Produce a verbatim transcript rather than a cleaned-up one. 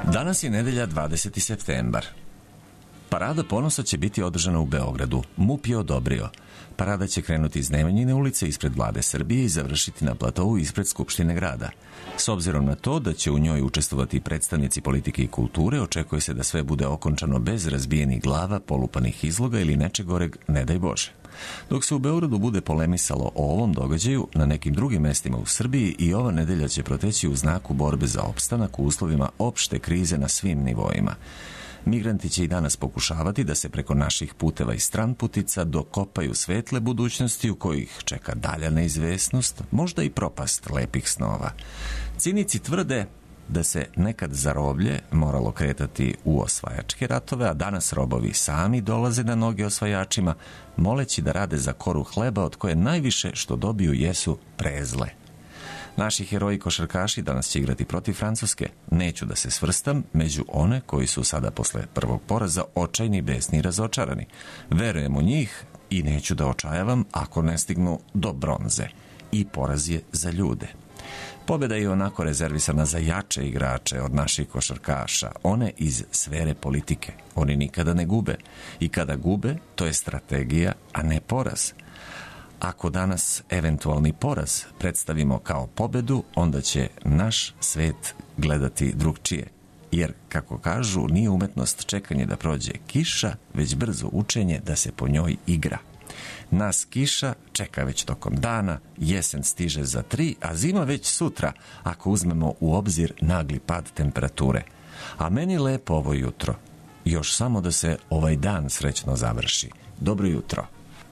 Danas je nedelja dvadeseti septembar. Parada ponosa će biti održana u Beogradu. MUP je odobrio. Parada će krenuti iz Nemanjine ulice ispred Vlade Srbije i završiti na platovu ispred Skupštine grada. S obzirom na to da će u njoj učestvovati predstavnici politike i kulture, očekuje se da sve bude okončano bez razbijenih glava, polupanih izloga ili nečeg goreg, ne daj Bože. Dok se u Beogradu bude polemisalo o ovom događaju, na nekim drugim mestima u Srbiji i ova nedelja će proteći u znaku borbe za opstanak u uslovima opšte krize na svim nivoima. Migranti će i danas pokušavati da se preko naših puteva i stranputica dokopaju svetle budućnosti u kojih čeka dalja neizvesnost, možda i propast lepih snova. Cinici tvrde da se nekad za roblje moralo kretati u osvajačke ratove, a danas robovi sami dolaze na noge osvajačima, moleći da rade za koru hleba od koje najviše što dobiju jesu prezle. Naši heroji košarkaši danas će igrati protiv Francuske. Neću da se svrstam među one koji su sada posle prvog poraza očajni, besni i razočarani. Verujem u njih i neću da očajavam ako ne stignu do bronze. I poraz je za ljude. Pobjeda je onako rezervisana za jače igrače od naših košarkaša, one iz sfere politike. Oni nikada ne gube. I kada gube, to je strategija, a ne poraz. Ako danas eventualni poraz predstavimo kao pobedu, onda će naš svet gledati drugčije. Jer, kako kažu, nije umetnost čekanje da prođe kiša, već brzo učenje da se po njoj igra. Nas kiša čeka već tokom dana, jesen stiže za tri, a zima već sutra, ako uzmemo u obzir nagli pad temperature. A meni lepo ovo jutro. Još samo da se ovaj dan srećno završi. Dobro jutro.